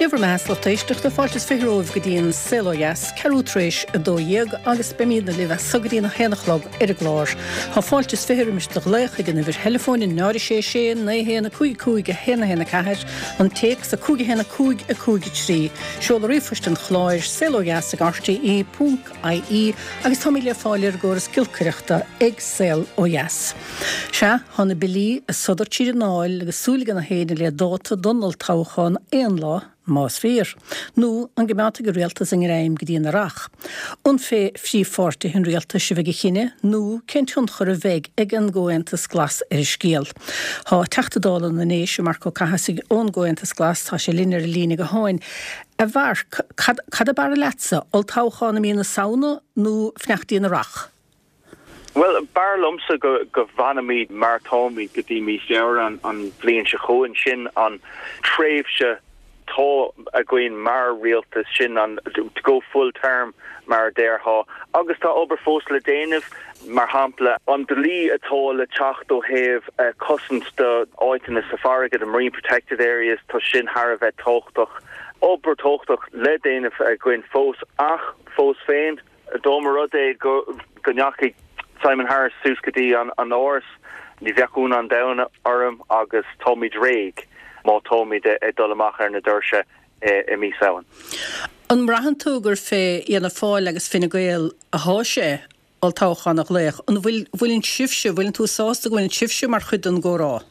Sé bhur mbeatha 's lucht éisteachta, fáilte is 20 romhaibh go dtí an Saol Ó Dheas, ceathrú tar éis 12 agus beimídne libh as so go dtí an 1 a chlog ar an gclár. Tá fáilte is 20 roimis do ghlaoch ag an uimhir theileafóin 0 6 6 9 1 5 5 1 1 4, an téacs 5 1 5 5 3, seoladh ríomhphoist an chláir, saolodheas ag rte ponc ie agus táimid le fáil ar an gcóras giolcaireachta ag Saol Ó Dheas. Sea, tá na billí ag sodar tríd an nDáil agus súil ag gach éinne le dáta don olltoghchán aon lá, más fíor. Nó an gcoimeádfaidh an rialtas a ngreim go dtí an Earrach? An fé phríomhpháirtithe an rialtais a bheidh an cinneadh nó cén tionchar a bheidh ag an gComhaontas Glas ar an scéal? Tá Teachta Dála na nDéise, Marc Ó Cathasaigh ón gComhaontas Glas, tá sé linn ar an líne gutháin. A Mharc, cad ab fhearr leatsa, olltoghchán i mí na Samhna nó fanacht dtí an Earrach? Bhuel, b'fhearr liomsa go bhfanfaimid mar atáimid go dtí mí Feabhra an bhliain seo chugainn. Sin an tréimhse atá againn mar rialtas, sin an to go full term mar a déarfá. Agus tá obair fós le déanamh, mar shampla an dlí atá le teacht ó thaobh cosaint do áiteanna sa farraige, the marine protected areas, tá sin thar a bheith tábhachtach. Obair tábhachtach le déanamh againn fós ach fós féin, Dá mba rud é go ndeachaigh Simon Harris suas go dtí an Áras, ní bheadh ionadh an domhain orm agus táimid réidh má táimid ag dul amach ar na doirse i mí Samhain. An mbraitheann tú gur fé Fhianna Fáil agus Fine Gael athá sé olltoghchán a ghlaoch? An bhfuil, bhfuileann sibhse, bhfuileann tú sásta go bhfuileann sibhse mar chuid den gcomhrá?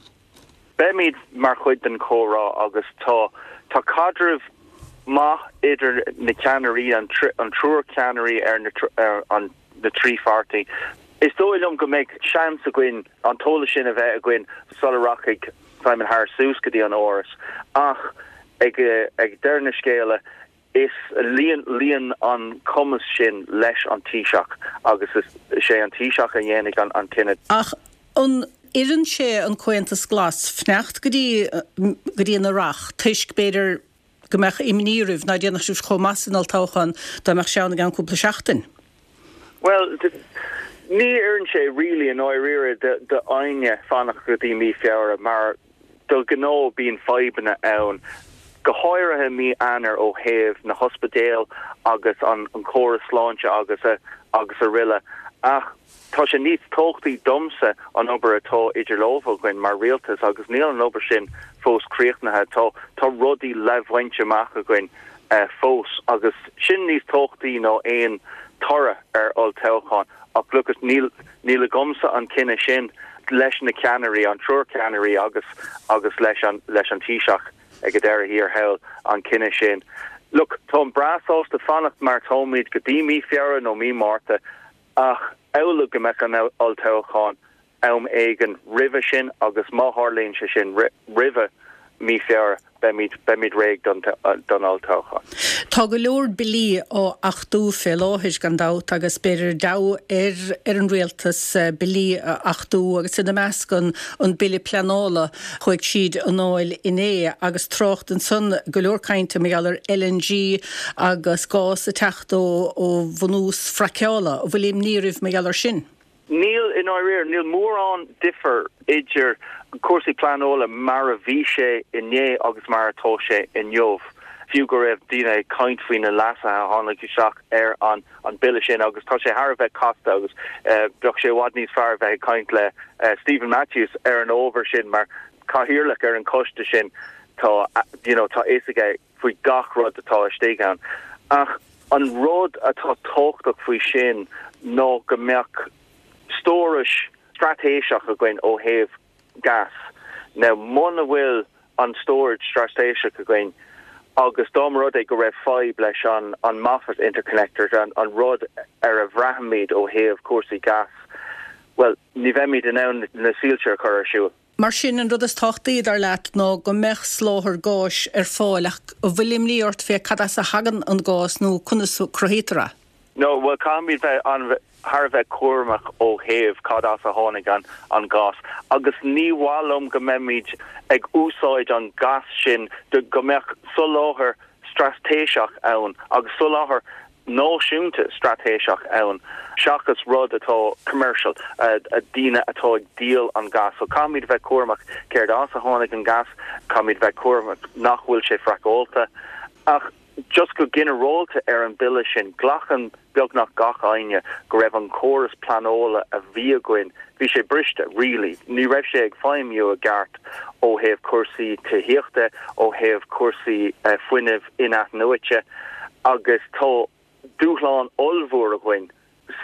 Beimid mar chuid den chomhrá agus tá tá caidreamh maith idir na ceannairí, an triúr ceannairí ar na ar na trí pháirtí. Is dóigh liom go mbeidh seans againn an t-eolas sin a bheith againn sula rachaidh Simon Harris suas go dtí an Áras ach ag ag deireadh na scéala Is luíonn an cumas sin leis an Taoiseach agus is é an Taoiseach a dhéanfaidh an cinneadh. Ach an oireann sé an Comhaontas Glas fanacht go dtí go dtí an Earrach toisc, b'fhéidir, go mbeadh imní oraibh ná déanfadh sibh chomh maith san olltoghchán dá mbeadh sé ann i gceann cúpla seachtain? Bhuel, ní oireann sé really i ndáiríre d'éinne fanacht go dtí mí Feabhra mar De ghnáth bíonn fadhbanna ann, go háirithe mí Eanáir ó thaobh na hospidéal agus an córas sláinte agus agus aroile. Ach tá sé níos tábhachtaí domsa an obair atá idir lámha againn mar rialtas agus níl an obair sin fós críochnaithe. Tá tá rudaí le bhaint amach againn fós agus sin níos tábhachtaí ná aon toradh ar olltoghchán. Ach look, níl níl agamsa an cinneadh sin leis na ceannairí, an triúr ceannairí agus agus leis an leis an Taoiseach ag an deireadh thiar thall an cinneadh sin. Look, táim breá sásta fanacht mar táimid go dtí mí Feabhra nó mí Márta ach amhlaidh go mbeadh an olltoghchán am éigin roimhe sin agus má tharlaíonn sé sin roimhe mí Feabhra, beimid, beimid réidh don, don olltoghchán. Tá go leor billí á achtú fé láthair, gan dabht, agus b'fhéidir deabhadh ar, ar an rialtas billí a achtú agus ina measc an, an bille pleanála. Chuaigh tríd an nDáil inné agus trácht ansan, go leor cainte mar gheall ar LNG agus gás ag teacht ó, ó bhunús fraiceála. An bhfuil imní oraibh mar gheall ar sin? Níl, i ndáiríre, níl mórán difear idir cúrsaí pleanála mar a bhí sé inné agus mar atá sé inniu, fiú go raibh daoine ag caint faoi na leasuithe a tháinig isteach ar an bille sin agus tá sé thar a bheith casta agus bheadh sé i bhfad níos fearr a bheith ag caint le Steven Matthews ar an ábhar sin mar chathaoirleach ar an choiste sin tá you know tá fhios aige faoi gach rud atá istigh ann. Ach an rud atá tábhachtach faoi sin ná go mbeadh stórais straitéiseach againn ó thaobh gas. Now muna bhfuil an storage straitéiseach againn agus dá mba rud é go raibh fadhb leis an an Moffat Interconnector, an rud ar a bhraithimid ó thaobh cúrsaí gas, bhuel ní bheimid in ann na soilse a chur ar siúl. Mar sin, an rud is tábhachtaí, dar leat, ná go mbeadh soláthar gáis ar fáil, ach an bhfuil imní ort fé cad as a thagann an gás nó conas a cruthaítear é? No, bhuel, caithfimid bheith an, thar a bheith cúramach ó thaobh cad as a tháinig an, an gás. Agus ní mhaith liom go mbeimid ag úsáid an gas sin, go mbeadh soláthar straitéiseach ann agus soláthar náisiúnta straitéiseach ann seachas rud atá commercial, daoine atá ag díol an gas. So caithfimid a bheith cúramach céard as a tháinig an gas, caithfimid a bheith cúramach nach bhfuil sé fraiceáilte. Ach just go ginearálta ar an bille sin, glacann beagnach gach éinne go raibh an córas pleanála a bhí againn, bhí sé briste, really. Ní raibh sé ag feidhmiú i gceart ó thaobh cúrsaí tithíochta, ó thaobh cúrsaí fuinnimh in-athnuaite agus tá dúshlán ollmhór againn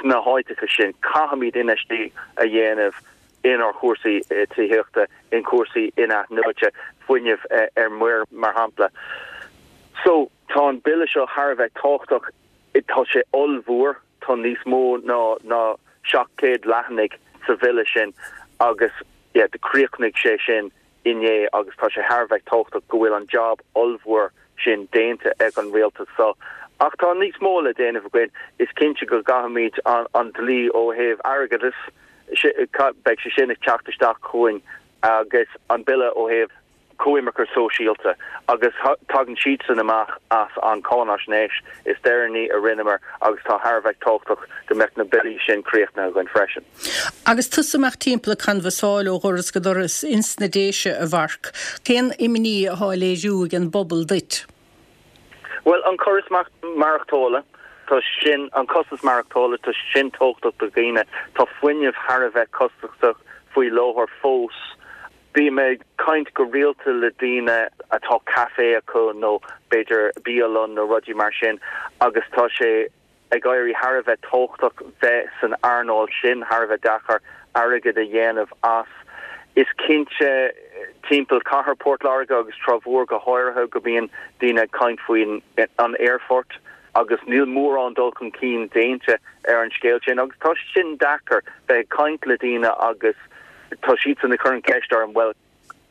sna háiteacha sin. Caithfimid infheistíocht a dhéanamh inár chúrsaí tithíochta, in cúrsaí in-athnuaite, fuinneamh ar muir mar shampla. So, tá an bille seo thar a bheith tábhachtach. Tá sé ollmhór, tá níos mó ná ná 700 leathanaigh sa bhille sin agus yeah, chríochnaigh sé sin inné agus tá sé thar a bheith tábhachtach go bhfuil an job ollmhór sin déanta ag an rialtas seo. Ach tá níos mó le déanamh againn. Is cinnte go gcaithfimid an dlí ó thaobh airgeadais, beidh sé sin ag teacht isteach chugainn agus an bille ó thaobh coimirce sóisialta agus tagann siadsan amach as an cáinaisnéis is deireanaí a rinneamar agus tá thar a bheith tábhachtach go mbeadh na billí sin críochnaithe againn freisin. Agus tusa amach timpeall ag canbhasáil ó dhoras go doras ins na Déise, a Mharc, cén imní athá á léiriú ag an bpobal duit? Bhuel, an córas maireachtála, tá sin, an costas maireachtála, tá sin tábhachtach do dhaoine. Tá fuinneamh thar a bheith costasach faoi láthair fós. Bím ag caint go rialta le daoine atá caife acu nó b'fhéidir bialann nó rudaí mar sin agus tá sé ag éirí thar a bheith tábhachtach bheith san earnáil sin, thar a bheith deacair airgead a dhéanamh as. Is cinnte timpeall cathair Port Láirge agus Trá Mhór go háirithe go mbíonn daoine ag caint faoin an aerfort agus níl mórán dul chun cinn déanta ar an scéal sin agus tá sé sin deacair bheith ag caint le daoine agus tá siadsan ag cur an ceist orm bhuel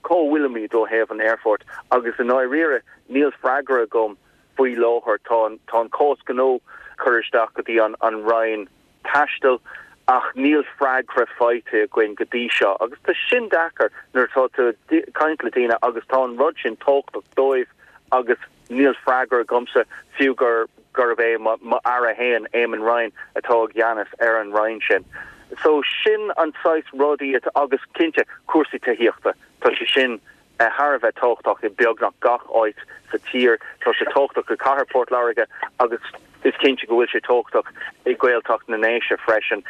cá bhfuilimid ó thaobh an aerfoirt agus i ndáiríre níl freagra agam faoi láthair. Tá an tá an cás gnó curtha isteach go dtí an an Roinn Taistil ach níl freagra faighte againn go dtí seo agus tá sin deacair nuair atá tú ag caint le daoine agus tá an rud sin tábhachtach dóibh agus níl freagra agamsa fiú gur gurb é mo Aire féin, Eamon Ryan, atá i gceannas ar an Roinn sin. So sin an saghas rudaí atá, agus cinnte cúrsaí tithíochta, tá sé sin thar a bheith tábhachtach i beagnach gach áit sa tír. Tá sé tábhachtach i cathair Port Láirge agus is cinnte go bhfuil sé tábhachtach i Gaeltacht na nDéise freisin,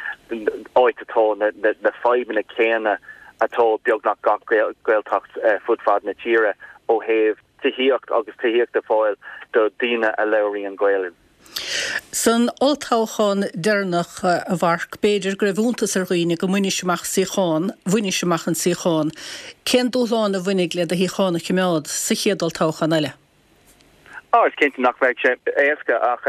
áit atá na fadhbanna céanna atá beagnach gach Gaeltacht fud fad na tíre ó thaobh tithíocht agus tithíocht a fháil do daoine a labhraíonn Gaelainn. San olltoghchán deireanach, a Mharc, b'fhéidir go raibh iontas ar dhaoine go mbainis amach suíochán, bhainis amach an suíochán. Cén dúshlán a bhainfidh le do shuíochán a choimeád sa chéad olltoghchán eile? Á, is cinnte nach mbeidh sé éasca ach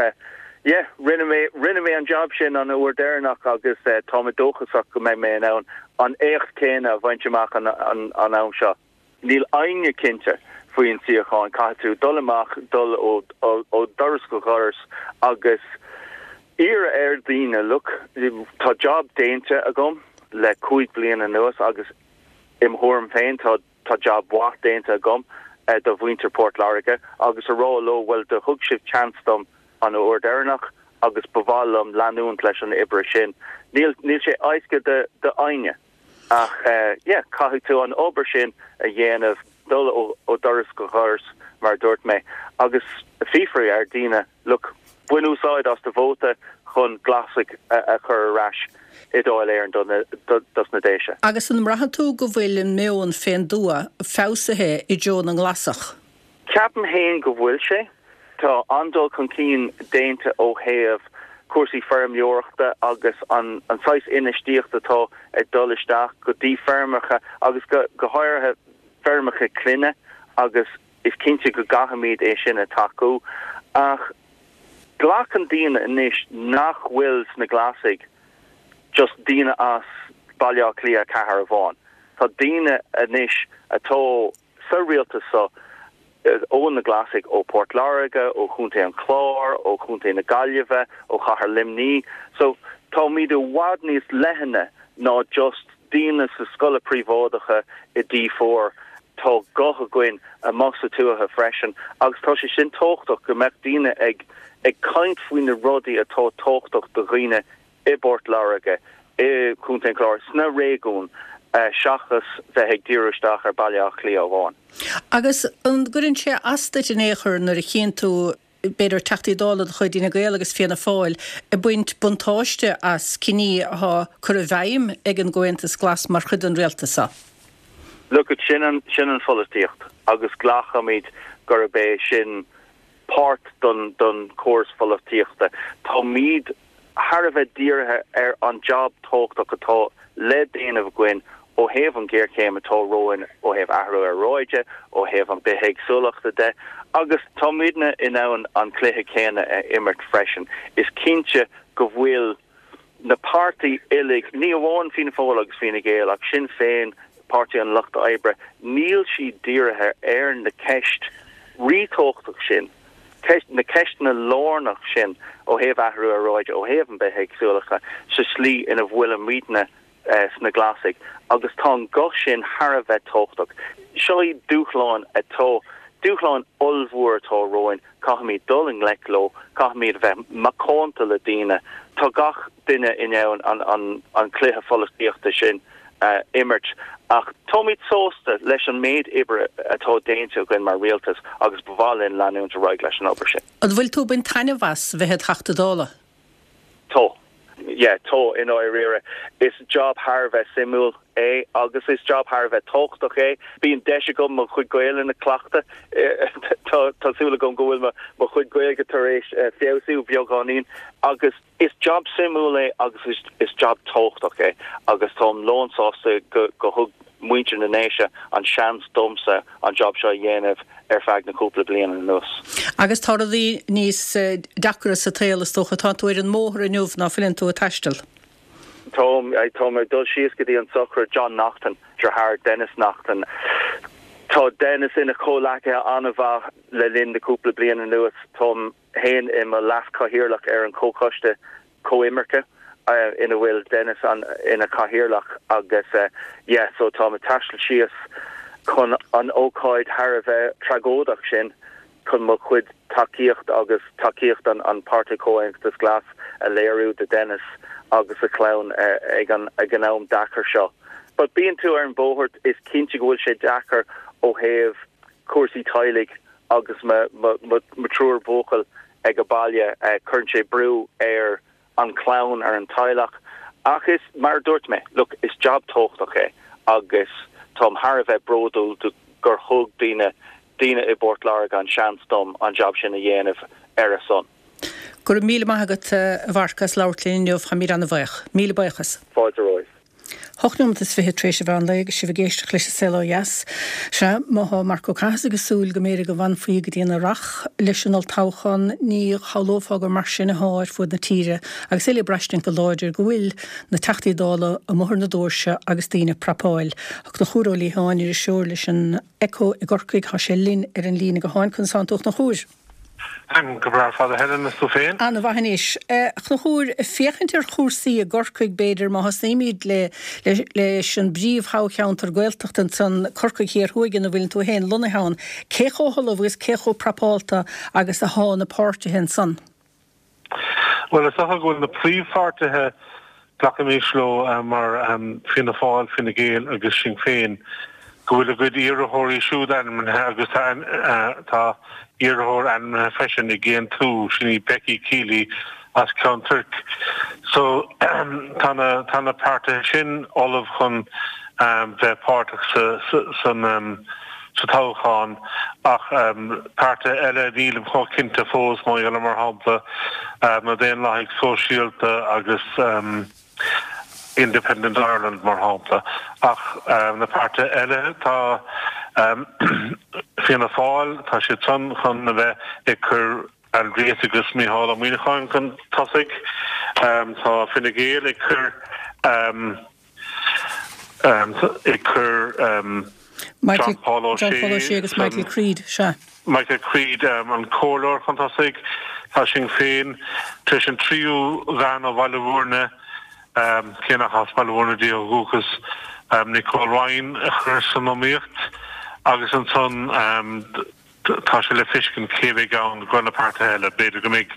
yeah, rinne mé, rinne mé an jab sin an uair deireanach agus tá mé dóchasach go mbeidh mé in ann an éacht céanna a bhaint amach an am seo. Níl éinne cinnte faoin suíochán. Caithfidh tú dul amach, dul ó dhoras go doras agus iarraidh ar dhaoine, look, tá job déanta agam le 5 bliana anuas agus im thuairim féin tá tá job mhaith déanta agam do mhuintir Port Láirge agus a rá leo, bhuel do thug sibh chance dom an uair deireanach agus ba mhaith liom leanúint leis an oibre sin. Níl níl sé éasca do do éinne. Ach yeah, caithfidh tú an obair sin a dhéanamh, dul ó dhoras go doras, mar a dúirt mé, agus fiafraí ar daoine, look, bain úsáid as do vóta chun Glasaigh a chur ar ais i Dáil Éireann dos na Déise. Agus an mbraitheann tú go bhfuil an meon fén dtuath feabhsaithe i dtreo na nGlasach? Ceapaim féin go bhfuil sé. Tá an-dul chun cinn déanta ó thaobh cúrsaí feirmeoireachta agus an saghas infheistíochta atá ag dul isteach go dtí feirmeacha agus go háirithe feirmeacha clainne agus is cinnte go gcaithfimid é sin a tacú. Ach glacann daoine anois nach bhfuil sna Glasaigh just daoine as Baile Átha Cliath 4 amháin. Tá daoine anois atá sa rialtas seo ó na Glasaigh ó Port Láirge, ó Chontae an Chláir, ó Chontae na Gaillimhe, ó Chathair Luimní. So táimid i bhfad níos leithne ná just daoine sa scoile príobháideacha i D4. Tá guth againn amuigh sa tuaithe freisin agus tá sé sin tábhachtach go mbeadh daoine ag ag caint faoi na rudaí atá tábhachtach do dhaoine i bPort Láirge, i gContae an Chláir, sna réigiúin. Seachas bheith ag díriú isteach ar Baile Átha Cliath amháin. Agus an gcuireann sé as duit in aon chor nuair a chíonn tú, b'fhéidir, Teachtaí Dála de chuid Fhine Gael agus Fianna Fáil ag baint buntáiste as cinní atá curtha i bhfeidhm ag an gComhaontas Glas mar chuid den rialtas seo? Look, sin an, sin an pholaitíocht agus glacaimid gurb é sin páirt don, don chóras pholaitíochta. Táimid thar a bheith dírithe ar an jab tábhachtach atá le déanamh againn ó thaobh an ghéarchéim atá romhainn ó thaobh athrú aeráide, ó thaobh an bithéagsúlachta de, agus táimidne in ann an cluiche céanna a imirt freisin. Is cinnte go bhfuil na páirtí uilig, ní amháin Fianna Fáil agus Fine Gael ach Sinn Féin, Páirtí an Lucht Oibre, níl siad dírithe ar na ceist ríthábhachtach sin, na ceisteanna lárnach sin ó thaobh athrú aeráide, ó thaobh an bithéagsúlachta, sa slí ina bhfuilimidne sna Glasaigh agus tá an guth sin thar a bheith tábhachtach. Seo iad dúshláin atá, dúshláin ollmhór atá romhainn, caithfimid dul i ngleic leo, caithfimid a bheith macánta le daoine, tá gach duine in ann an cluiche pholaitíochta sin a imirt ach táimid sásta leis an méid oibre atá déanta againn mar rialtas agus ba mhaith linn leanúint ar aghaidh leis an obair sin. An bhfuil tú ag baint taitneamh as bheith id Theachta Dála? Tá. Yeah, tá, i ndáiríre. Is job thar a bheith suimiúil é agus is job thar a bheith tábhachtach é. Bíonn deis agam mo chuid Gaelainne a chleachtadh. Tá, tá súil agam go bhfuil mo chuid Gaeilge tar éis feabhsú beagáinín agus Is jab suimiúil é agus is jab tábhachtach é agus táim lánsásta go thug muintir na nDéise an seans domsa an jab seo a dhéanamh ar feadh na cúpla bliain anuas. Agus tá rudaí níos deacra sa tsaol is dócha. Tá tú ar an mbóthar inniu ná fuileann tú ag taisteal? Táim, táim ag dul síos go dtí an sochraid John Naughton, deartháir Denis Naughten. Tá Denis ina chomhleacaithe an-mhaith le linn na cúpla bliain anuas. Táim fhéin i mo leas-chathaoirleach ar an Chomhchoiste Comhimirce ina bhfuil Denis ina chathaoirleach agus yeah so táim ag taisteal síos chun an ócáid thar a bheith tragóideach sin chun mo chuid tacaíocht agus tacaíocht an Páirtí Comhaontas Glas a léiriú do Denis agus a chlann ag an ag an am deacair seo. But bíonn tú ar an bhóthar is cinnte go bhfuil sé deacair ó thaobh cúrsaí teaghlaigh agus mo thriúr buachaill ag an baile, cuireann sé brú ar an chlann, ar an teaghlach. Ach is, mar a dúirt mé, look, is jab tábhachtach é agus táim thar a bheith bródúil gur thug daoine, daoine i bPort Láirge an seans dom an jab sin a dhéanamh ar a son. Go raibh míle maith agat, a Mharc, as labhairt linn inniu. Táimid ana-bhaoch. Míle buíochas. Fáilte romhaibh. 8 nóimeat is 20 tar éis an mheán lae agus sibh ag éisteacht leis an Saol Ó Dheas. Sea, má thá Marc Ó Cathasaigh ag súil go mb'fhéidir go bhfanfaí go dtí an Earrach leis an olltoghchán, ní shamhlófá gur mar sin athá ar fuaid na tíre agus uile ag braistint go láidir go bhfuil na Teachtaí Dála amuigh ar na doirse agus daoine ag prapáil. Tá Conchúr Ó Liatháin, iriseoir leis an Echo i gCorcaigh, thá sé linn ar an líne gutháin. Conas tánn tú a Chonchúir? Táim go breá ar fad a Helen, is tú féin? An-mhaith anois. A Chonchúir, féachaint ar chúrsaí i gCorcaigh b'fhéidir, má thosnaímid le leis an bpríomh-thoghcheantar Gaeltachta ansan, Corcaigh Thiar Thuaidh ina bhfuileann tú féin lonnaithe ann, cé chomh hullamh agus cé chomh prapálta agus athá na páirtithe ansan? Bhuel, is dócha go bhfuil na príomhpháirtithe, glacaimis leo mar Fianna Fáil, Fine Gael agus Sinn Féin, go bhfuil a gcuid iarrthóirí siúd ainmnithe agus tá iarrthóir ainmnithe freisin ag Aontú, sin í Becky Kiely as Ceann Toirc. So tá na tá na páirtithe sin ullamh chun bheith páirteach sa san sa toghchán ach páirtithe eile nílim chomh cinnte fós, mar gheall ar, mar shampla, na Daonlathaigh Sóisialta agus Independent Ireland, mar shampla. Ach na páirtithe eile, tá Fianna Fáil, tá siad san chun a bheith ag cur Aindrias agus Mícheál Ó Muíneacháin chun tosaigh. Tá Fine Gael ag cur. ag cur John Paul O'Shea agus Michael Creed, sea. Michael Creed, an comhairleoir chun tosaigh. Tá Sinn Féin tar éis an tríú bhean ó Bhaile Bhúirne, cé nach as Baile Bhúirne di ó dhúchas, Nicole Ryan a chur san iomaíocht agus ansan Tá sé le feiscint cé bheidh ann i gcomhair na páirtithe eile. B'fhéidir go mbeidh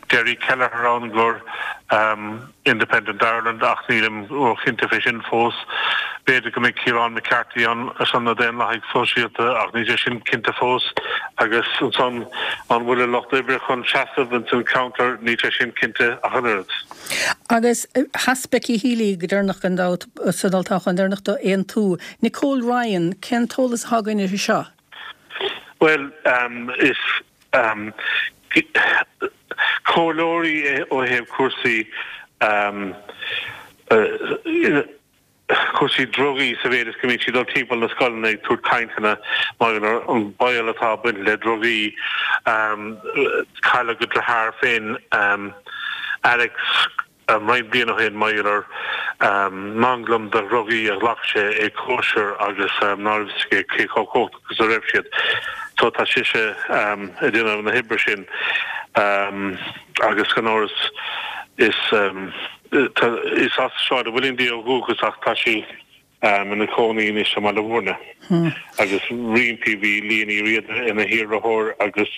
Derry Kelleher ann i gcomhair Independent Ireland ach nílim róchinnte fé sin fós. B'fhéidir go mbeidh Ciarán McCarthy ann ar son na Daonlathaigh Sóisialta ach níl sé sin cinnte fós. Agus ansan an bhfuil an Lucht Oibre chun seasamh ins an cheantar, níl sé sin cinnte ach an oiread. Agus sheas Becky Healy go deireanach gan dabht san olltoghchán deireanach do Aontú. Nicole Ryan, cén t-eolas atá againn uirthi seo? Bhuel, is comhairleoir í ó thaobh cúrsaí cúrsaí drugaí sa mhéid is go mbíonn sí ag dul timpeall na scoileanna ag tabhairt cainteanna mar gheall ar an baol atá ag baint le drugaí. Cailleadh a deartháir féin, Alex, roinnt bliain ó shin mar gheall ar manglam de dhrugaí a ghlac sé ag cóisir agus ná raibh fhios aige cé chomh cumhachtach is a raibh siad. So tá sise ag déanamh na hoibre sin agus gan amhras is Is as Sráid an Mhuilinn di ó dhúchas ach tá sí ina cónaí anois i mBaile Mhúirne. Agus roimpi bhí Liadh Ní Riada ina hiarrthóir agus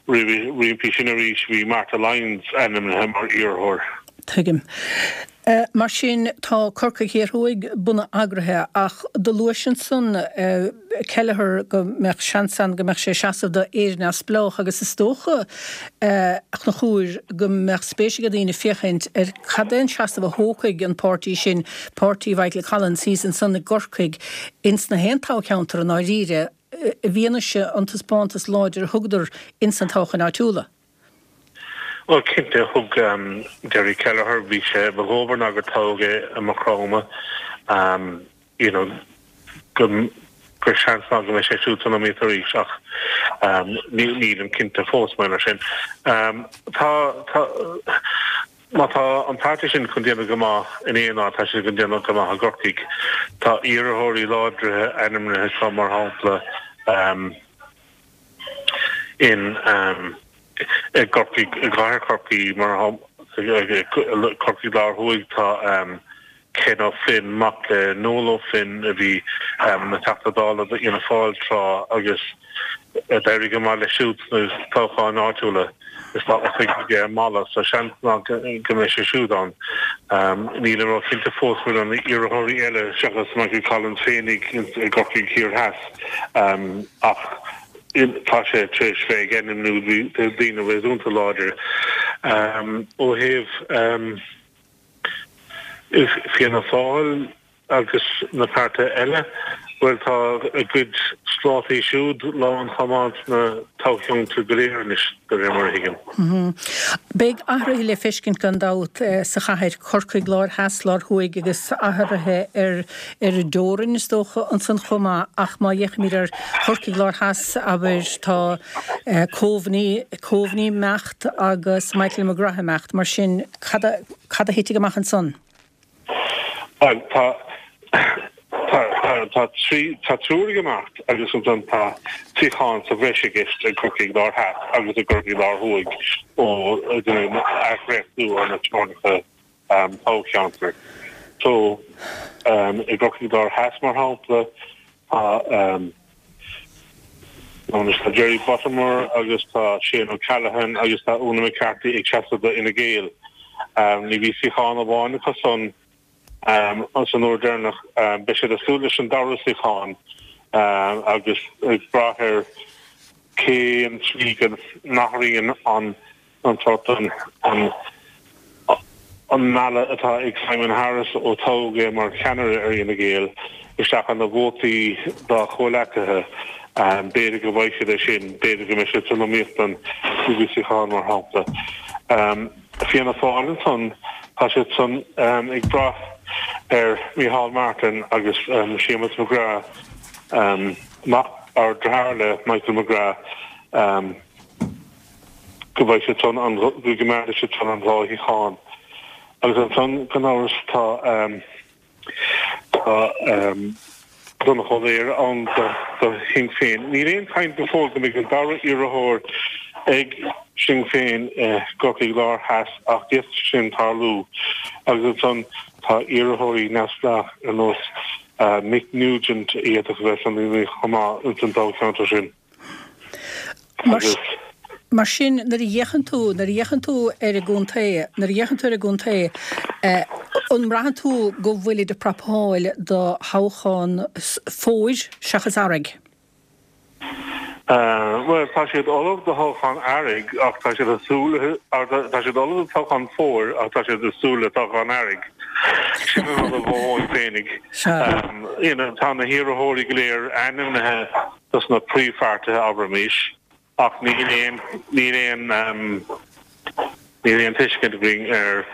roimpi sin arís bhí Martha Lyons ainmnithe mar iarrthóir. Tuigim. Mar sin, tá Corcaigh Thiar Thuaidh bunaidh eagraithe ach do luais ansan Kelleher go mbeadh seans ann go mbeadh sé ag seasamh do Éire Neamhspleách agus is dócha, a Chonchúir, go mbeadh spéis ag daoine féachaint ar cad é an seasamh a thógfaidh an páirtí sin, páirtí Mhichael Collins thíos ansan i gCorcaigh, ins na haon toghcheantar i ndáiríre, i bhfianaise an taispeántas láidir a thugadar ins na toghcháin áitiúla. Bhuel, cinnte, thug Gerry Kelleher, bhí sé, ba dhóbair ná gur toghadh é i Maigh Chromtha, you know, go, gur seans maith go mbeidh sé siúd san iomaíocht arís ach nílim cinnte fós mar gheall air sin. Tá, tá, má tá an páirtí sin chun déanamh go maith in aon áit, tá siad chun déanamh go maith i gCorcaigh. Tá iarrthóirí láidre ainmnithe acu, mar shampla, in i gCorcaigh, i gcathair Chorcaí, mar shampla, Corcaigh Lár Thuaidh, tá Ken O'Flynn, mac le Noel O'Flynn a bhí ina Theachta Dála d'Fhianna Fáil tráth agus d'éirigh go maith leis siúd sna toghcháin áitiúla. Is tá oifig aige i Mala, so seans maith go mbeidh sé siúd ann. Nílim ró-chinnte fós faoi na hiarrthóirí eile seachas Michael Collins féinig i gCorcaigh Thiar Theas ach tá sé tar éis bheith ag ainmniú daoine réasúnta láidir ó thaobh Fianna Fáil agus na páirtithe eile. Bhuel, tá a gcuid slátaí siúd lán chomh maith sna toghcheantair go léir anois, de réir mar a thuigim. Beidh athruithe le feiscint gan dabht sa chathair, Corcaigh Láir Theas, Lár Thuaidh agus athruithe ar ar an dteorainn is dócha ansan chomh maith ach má fhéachaimid ar Chorcaigh Láir Theas, abair, tá Coveney, Coveney imeacht agus Michael McGrath imeacht, mar sin cad a, cad a thitfidh amach ansan? Bhuel, tá, tá, tá, tá trí, tá triúr ag imeacht agus ansan tá suíochán sa bhreis i gceist i gCorcaigh Láir Theas agus i gCorcaigh Láir Thuaidh ó athdhréachtú ar na teorainneacha toghcheantair. So, i gCorcaigh Láir Theas, mar shampla, tá tá Jerry Buttimer agus tá Shane O'Callaghan agus tá Úna McCarthy ag seasamh do Fhine Gael. Ní bhí suíochán amháin acu san san uair deireanach. Beidh siad ag súil leis an dara suíochán agus ag brath ar cén tslí go n-athraíonn an an sórt an an mealladh atá ag Simon Harris ó toghadh é mar cheannaire ar Fhine Gael isteach ina vótaí dá chomhleacaithe. B'fhéidir go bhfaighidh siad é sin, b'fhéidir go mbeidh siad san iomaíocht don chúigiú suíochán, mar shampla. Fianna Fáil ansan, tá siad san ag brath ar Micheál Martin agus Séamus McGrath, mac, or deartháir le Michael McGrath. go bhfaighidh siad san an, go gcoimeádfaidh siad san an dhá shuíochán. Agus ansan, gan amhras, tá, tá Donnchadh Ó Laoghaire ann do, do Shinn Féin. Níl aon chaint go fóill go mbeidh an dara iarrthóir ag Sinn Féin i gCorcaigh Láir Theas ach d'fhéadfadh sin tarlú. Agus ansan tá iarrthóirí neamhspleách ar nós Mick Nugent a d'fhéadfadh a bheith san iomaíocht chomh maith ins an toghcheantar sin. Mar sin, nuair a fhéachann tú, nuair a fhéachann tú ar an gcontae, nuair a fhéachann tú ar an gcontae, eh. An mbraitheann tú go bhfuilid ag prapáil do thoghchán fómhair seachas earraigh? Bhuel, tá siad ullamh do thoghchán earraigh ach tá siad ag súil, tá siad ullamh do toghchán fómhair ach tá siad ag súil le toghchán earraigh. Sin an rud a mhothóinn féinig. You know, tá na hiarrthóirí go léir ainmnithe dos na príomhpháirtithe, abraimis, ach níl aon, níl aon, níl aon tuiscint againn ar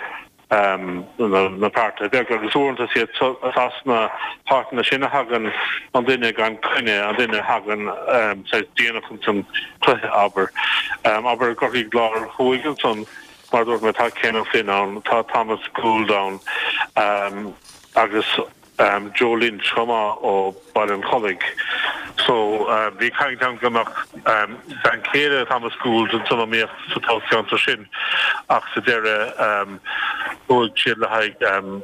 na páirtithe beaga agus uaireanta is iad as na háiteanna sin a thagann an duine gan coinne, an duine a thagann saghas déanach ins an chluiche, abair. Abair i gCorcaigh Láir Thuaidh ansan, mar a dúirt mé, tá Ken O'Flynn ann, tá Thomas Gould ann agus. Joe Lynch chomh maith ó Baile an Chollaigh. So bhí caint ann go mbeadh bean chéile Thomas Gould san iomaíocht sa toghcheantar sin ach sa deireadh chuaigh siad le haghaidh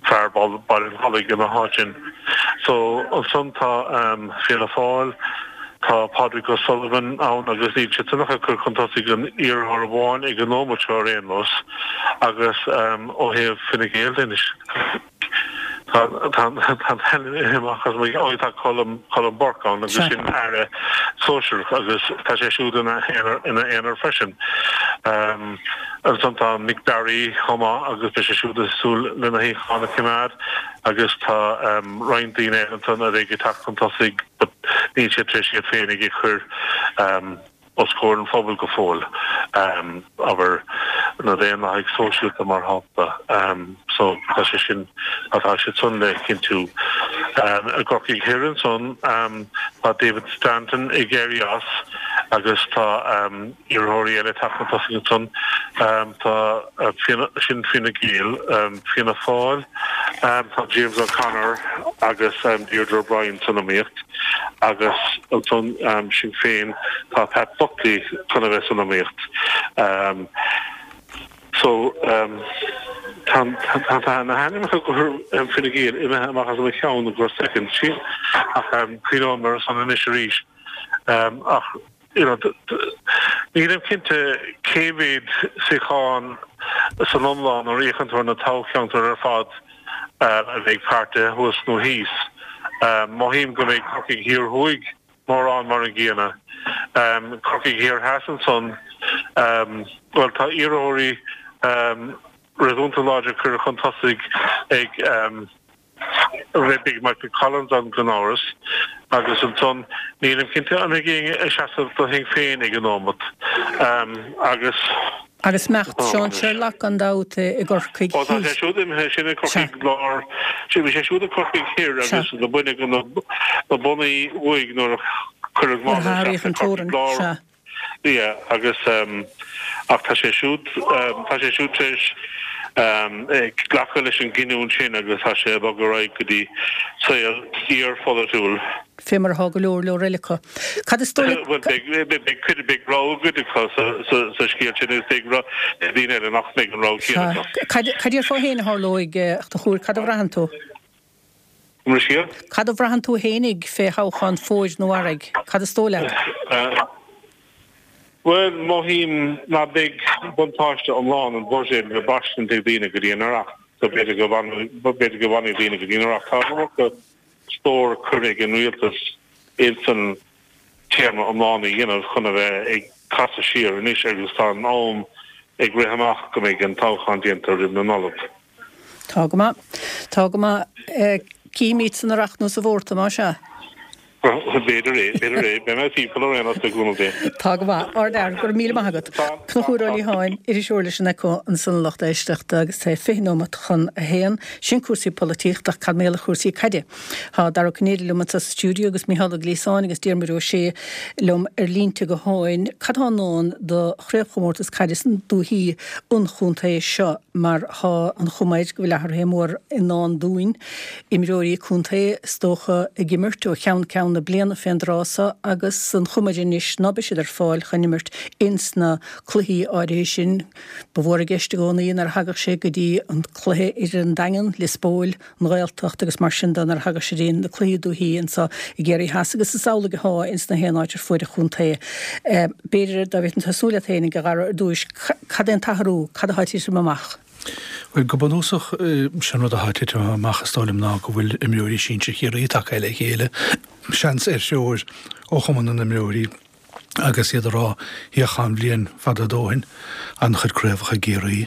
fear Baile an Chollaigh ina háit sin. So ansan tá Fianna Fáil, tá Pádraig O'Sullivan ann agus níl siad san ach ag cur chun tosaigh an iarrthóir amháin ag an nóimeat seo ar aon nós agus ó thaobh Fine Gael de anois, Tá an t-ainm imithe amach as mo cheann. Tá Colm, Colm Burke ann agus sin Aire sóisearach agus tá sé siúd ina aonar freisin. Ansan tá Mick Barry chomh maith agus beidh sé siúd ag súil lena shuíochán a choimeád agus tá roinnt daoine eile ansan a bheidh ag teacht chun tosaigh but níl siad tar éis iad féinig a chur os comhair an phobail go fóill, abair, na Daonlathaigh Sóisialta mar shampla. So tá sé sin, tá siad san le cinntiú. I gCorcaigh Thoir ansan tá David Stanton ag éirí as agus tá iarrthóirí eile ag teacht chun tosaigh ansan. Tá Fianna, sin Fine Gael, Fianna Fáil, tá James O'Connor agus Deirdre O'Brien san iomaíocht. Agus ansan Sinn Féin, tá Pat Buckley chun a bheith san iomaíocht. So tá tá na hainmneacha do Fine Gael imithe amach as mo cheann go soicind ach cuimhneoidh mé orthu san anois arís. Ach you know nílim cinnte cé mhéad suíochán san iomlán nuair a fhéachann tú ar na toghcheantair ar fad a bheidh páirtithe thuas nó thíos. Mothaím go mbeidh Corcaigh Thiar Thuaidh mórán mar an gcéanna. Corcaigh Thiar Theas ansan, bhuel tá iarrthóirí réasúnta láidir curtha chun tosaigh ag Beidh Michael Collins ann gan amhras agus ansan nílim cinnte an mbeidh éinne ag seasamh do Shinn Féin ag an nóimeat agus. Agus imeacht Seán Sherlock gan dabht i gCorcaigh Ó tá sé siúd imithe, sin i gCorcaigh Lár, bhí sé siúd i gCorcaigh Thoir agus do baineadh na bonnaí uaidh nuair a cuireadh mála isteach i gCorcaigh Lár. Yeah, agus ach tá sé siúd, tá sé siúd tar éis glacadh leis an gcinniúint sin agus tá sé ag bogadh ar aghaidh go dtí saol iarpholaitiúil. Fé mar atá go leor leor eile acu. Cad is dóigh leat? Bhuel, beidh, beidh cuid, beidh rogha cuid acu sa, sa, sa scéal sin agus beidh daoine eile nach mbeidh an rogha céanna acu. Cad, cad déarfá féin a tharlóidh, a Chonchúir, cad a bhraitheann tú? An Cad a bhraitheann tú fhéinig fé thoghchán fómhair nó earraigh? Cad is dóigh leat? Bhuel, mothaím ná beidh buntáiste iomlán an bhuiséid le braistint ag daoine go dtí an Oireachtas, so b'fhéidir go b'fhéidir go bhfanfaidh daoine go dtí an Oireachtas. Tá an iomarca stór curtha ag an rialtas insan téarma iomlán a dhéanamh chun a bheith ag casadh siar anois agus tá an am ag rith amach go mbeidh an toghchán déanta roimh na Nollag. Tá go maith. Tá go maith. Cífimid san Oireachtas nó sa Mhárta, más ea. B'fhéidir é, b'fhéidir é. Beidh mé timpeall ar aon nós le cúnamh Dé. Tá go maith. Ardfhear, go raibh míle maith agat. Conchúr Ó Liatháin, iriseoir leis an Echo ansan a lucht éisteachta agus tá 20 nóimeat chun a haon. Sin cúrsaí polaitíochta ach cad mar gheall ar chúrsaí caide? Tá Dara Ó Cinnéide liom anseo sa stiúideo agus Mícheál Ó Gliasáin agus Diarmuid Ó Sé liom ar línte gutháin. Cad tá i ndán do chraobhchomórtas caide sna dúichí an chontae seo mar tá an chuma air go bhfuil athruithe mór i ndán dúinn. Imreoirí contae is dócha ag imirt ó cheann ceann na bliana fén dtráth so agus an chuma air anois ná beidh siad ar fáil chun imirt ins na cluichí áirithe sin. Ba mhór i gceist i gcónaí nuair a thagadh sé go dtí an cluiche idir an Daingean, Lios Póil, an Ghaeltacht agus mar sin de nuair a thagadh sé go dtí na cluichí dúichí anso i gCiarraí Theas agus is amhlaidh athá ins na haon áit ar fuaid an chontae. B'fhéidir dá bhféadfainn tosú leat fhéinig a Dhara ar dtúis, cad é an t-athrú, cad athá ag titim amach? Bhuel, go bunúsach, sé an rud atá ag titim amach, is dóigh liom, ná go bhfuil imreoirí sinsir Chiarraí tagtha le chéile, seans ar threoir ó Chumann na nImreoirí, agus iad ag rá, Féach, tá an bhliain fada a dóthain, an-chuid craobhacha i gCiarraí,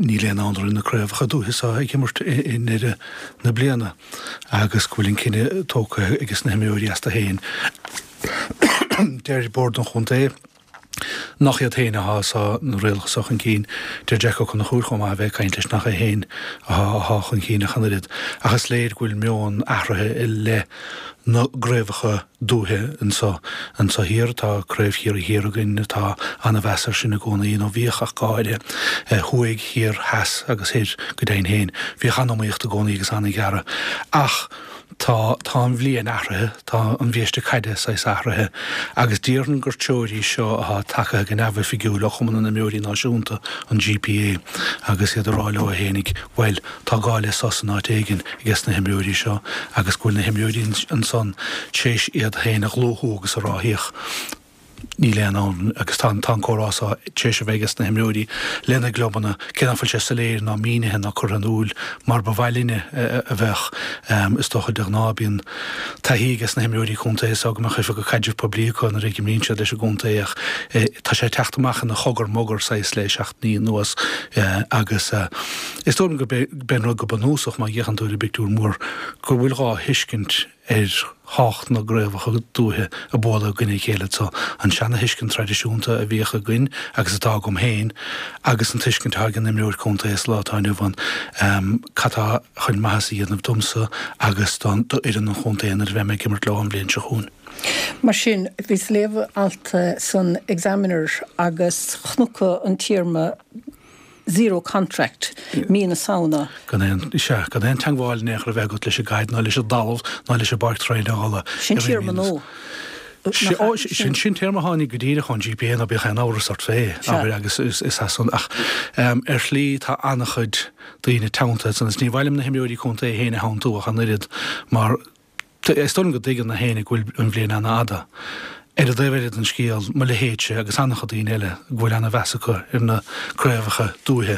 níl aon fhonn orainn na craobhacha dúiche seo ag imirt i ndeireadh na bliana, agus go bhfuil an cinneadh tógtha ages na himreoirí astu féin. Deir Bord an Chontae. nach iad féin atá ag sá na rialacha so chun cinn. Deir Jack Ó Conchúir chomh maith a bheith ag caint leis nach é féin atá chun cinn ach an oiread. Ach is léir go bhfuil meon athraithe i leith na gcraobhacha dúiche anso. Anso thiar tá Craobh Chiarraí Thiar againn, tá ana-mheas air sin i gcónaí, nó bhíodh ach go háirithe. Thuaidh, thiar, theas agus thoir go deimhin féin. Bhíodh an-iomaíocht i gcónaí agus an-ghearradh. Ach. Tá, tá an bhliain athraithe, tá an bhiaiste caide saghas athraithe, agus déarfainn gur treoir í seo atá tagtha go neamhoifigiúil ó Chumann na nImreoirí Náisiúnta, an GPA, agus iad ag rá leo fhéinig, bhuel, tá gá le sos in áit éigin ages na himreoirí seo, agus go bhfuil na himreoirí ansan tréis iad féin a dhlúthú agus a rá, féach, Níl aon fhonn, agus tá an comhrá seo tar éis a bheith ages na himreoirí lena gclubanna, cé nach bhfuil sé soiléir ná mínithe ná curtha in iúl mar ba mhaith linne a bheadh. Is dócha, de ghnáth, bíonn taithí ages na himreoirí contae so go mbeadh oifigeach caidrimh poiblí acu nuair a imríonn siad leis an gcontae ach tá sé ag teacht amach ina chogar mogar saghas le seachtainí anuas agus is dóigh liom gurb é an rud go bunúsach má fhéachann tú ar an bpictiúr mór go bhfuil dhá thuiscint ar thábhacht na gcraobhacha dúiche ag bualadh i gcoinne a chéile anso, an seana-thuiscint traidisiúnta a bhíodh againn agus atá agam féin agus an tuiscint atá ag an imreoir contae sa lá atá inniu ann, cad tá chun maitheas a dhéanamh domsa agus d'fhoireann an chontae nuair a bheidh mé ag imirt leo an bhliain seo chugainn. Mar sin, bhíos ag léamh alt san Examiner agus chonac an téarma zero contract, mí na Samhna. Gan aon, sea, gan aon teangmháil in aon chor a bheith agat leis an gcaid ná leis an dtalamh ná leis an bpáirc traenála. Sin téarma nua. Ó, sin, sin téarma a tháinig go díreach ón GPA, ná bíodh aon amhras ort fé, abair, agus is as san, ach ar shlí tá an-chuid daoine teanntaithe ansan, is ní mhaith liom na himreoirí contae féin a theanntú ach an oiread, mar Is dóigh liom go dtuigeann gach éinne go bhfuil an bhliain an-fhada. Ar an dtaobh eile den scéal, mo leithéidse agus an-chuid daoine eile go bhfuil an-mheas acu ar na craobhacha dúiche,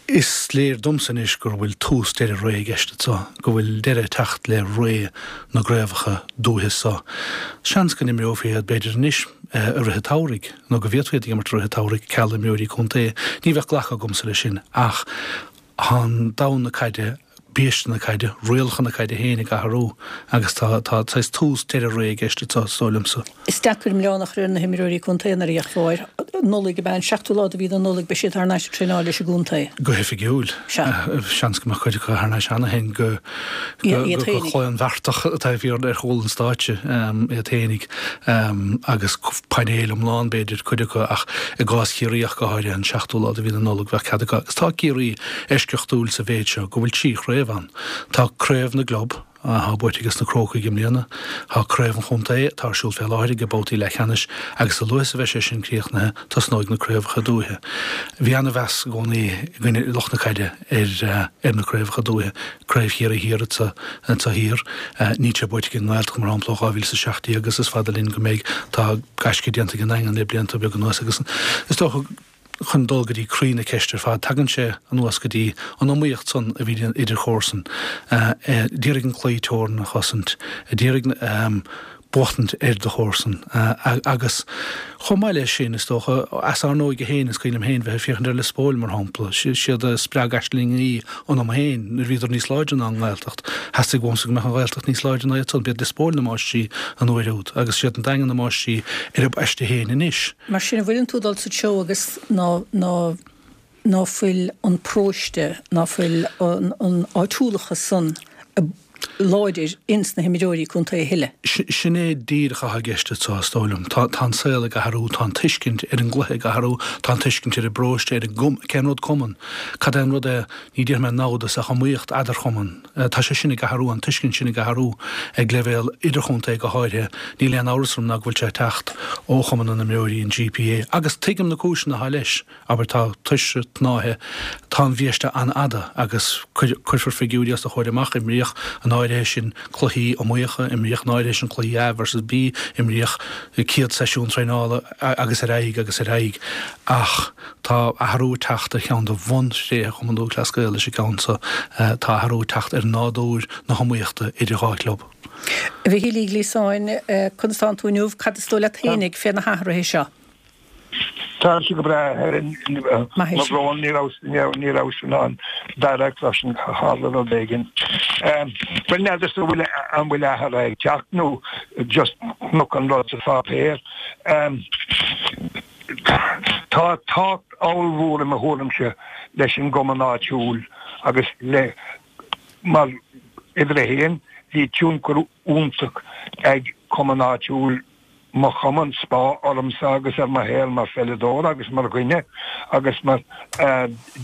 is léir domsa anois gur bhfuil tús deireadh ré i gceist anso, go bhfuil deireadh ag teacht le ré na gcraobhacha dúiche so. Seans go n-imreofaí iad b'fhéidir anois i rith an tsamhraidh, nó go bhféadfaí iad a imirt i rith an tsamhraidh, ceal imreoirí contae. Ní bheadh glacadh agamsa leis sin ach Tá domhan na caide, biaiste na caide, rialacha na caide féin ag athrú agus tá tá saghas tús deireadh ré i gceist anseo, is dóigh liomsa. Is deacair milleán a chur ar na himreoirí contae nuair a d'fhéachfá air. Nollaig ab ea an seachtú lá de mhí na Nollag beidh siad thar n-ais ag traenáil leis an gcontae. Go hoifigiúil. Sea. Seans go mbeadh cuid acu thar n-ais cheana féin go Iad go féinig. claonbheartach taobh thiar ar chúl an stáitse iad féinig. agus painéal iomlán b'fhéidir, cuid acu, ach i gcás Chiarraí ach go háirithe, an seachtú lá de mhí na Nollag bheadh cead acu. Agus tá Ciarraí eisceachtúil sa mhéid seo go bhfuil trí chraobh ann. Tá Craobh na gClub, atá buaite ages na Crócaigh i mbliana, tá Craobh an Chontae, atá ar siúl fé láthair ag babhtaí leathcheannais, agus a luaithe is a bheidh sé sin críochnaithe, tosnóidh na craobhacha dúiche. Bhí ana-mheas i gcónaí againne lucht na caide ar ar na craobhacha dúiche. Craobh Chiarraí Thiar anso thiar. Níl sé buaite ag an nGaeltacht, mar shampla, ó 2017 agus is fada linn go mbeidh. Tá gaisce déanta ag an nDaingean le blianta beaga anuas agus is dócha, chun dul go dtí croí na ceiste ar fad, tagann sé anuas go dtí an iomaíocht san a bhí idir chomharsain. D'iarraidh an claí teorann a chosaint, d'iarraidh buachtaint ar do chomharsan. Agus chomh maith leis sin, is dócha, as ár n-óige féin, is cuimhin liom féin bheith ag féachaint ar Lios Póil, mar shampla. Siad a spreag aislingí ionam féin nuair a bhíodar níos láidre ná an nGaeltacht. Theastaigh uaimse go mbeadh an Ghaeltacht níos láidre ná iad san. B'iad Lios Póil na máistrí an uair úd, agus siad an Daingean na máistrí ar a bpaiste féin anois. Mar sin, an bhfuileann tú ag dul sa treo agus ná, ná, ná fuil an paróiste, ná fuil an áitiúlachas san láidir ins na himreoirí contae a thuilleadh. Sin é díreach atá i gceist anseo, is dóigh liom. Tá an saol ag athrú, tá an tuiscint ar an gcluiche ag athrú, tá an tuiscint ar an bparóiste, ar an gcum, cén rud cumann, cad é an rud é, ní déarfaidh mé namhdas ach iomaíocht eadarchumann. Tá sé sin ag athrú, an tuiscint sin ag athrú ag leibhéal idirchontae go háirithe. Níl aon amhras orm ná go bhfuil sé ag teacht ó Chumann na nImreoirí, an GPA, agus tuigim na cúiseanna atá leis. Abair, tá tuirse, tnáithe, tá an bhiaiste an-fhada agus cuirfear figiúirí os do chomhair amach, imríodh an. An áirithe sin cluichí iomaíocha, imríodh an áirithe sin cluichí A versus B, imríodh céad seisiún traenála agus ar aghaidh agus ar aghaidh. Ach tá athrú ag teacht ar cheann de bhunthréithe Chumann Lúthchleas Gael leis an gceann seo, tá athrú ag teacht ar nádúr na hiomaíochta idir dhá chlub. A Mhichíl Uí Ghliasáin, conas tánn tú inniu? Cad is dóigh leat fhéinig fé na hathruithe seo? Táimse go breá, a Helen. Mo bhrón, ní rabhas, ní rabhas in ann Dara a chloisint, tharla rud éigin. Bhuel, n'fheadarsa an bhfuil, an bhfuil athrú ag teacht nó just chonac an rud sa pháipéar. Tá tábhacht ollmhór i mo thuairimse leis an gcumann áitiúil agus le, mar uimhir a haon, bhí tionchar iontach ag cumann áitiúil mo chumann, Spá, ormsa agus ar mo shaol mar pheileadóir agus mar dhuine agus mar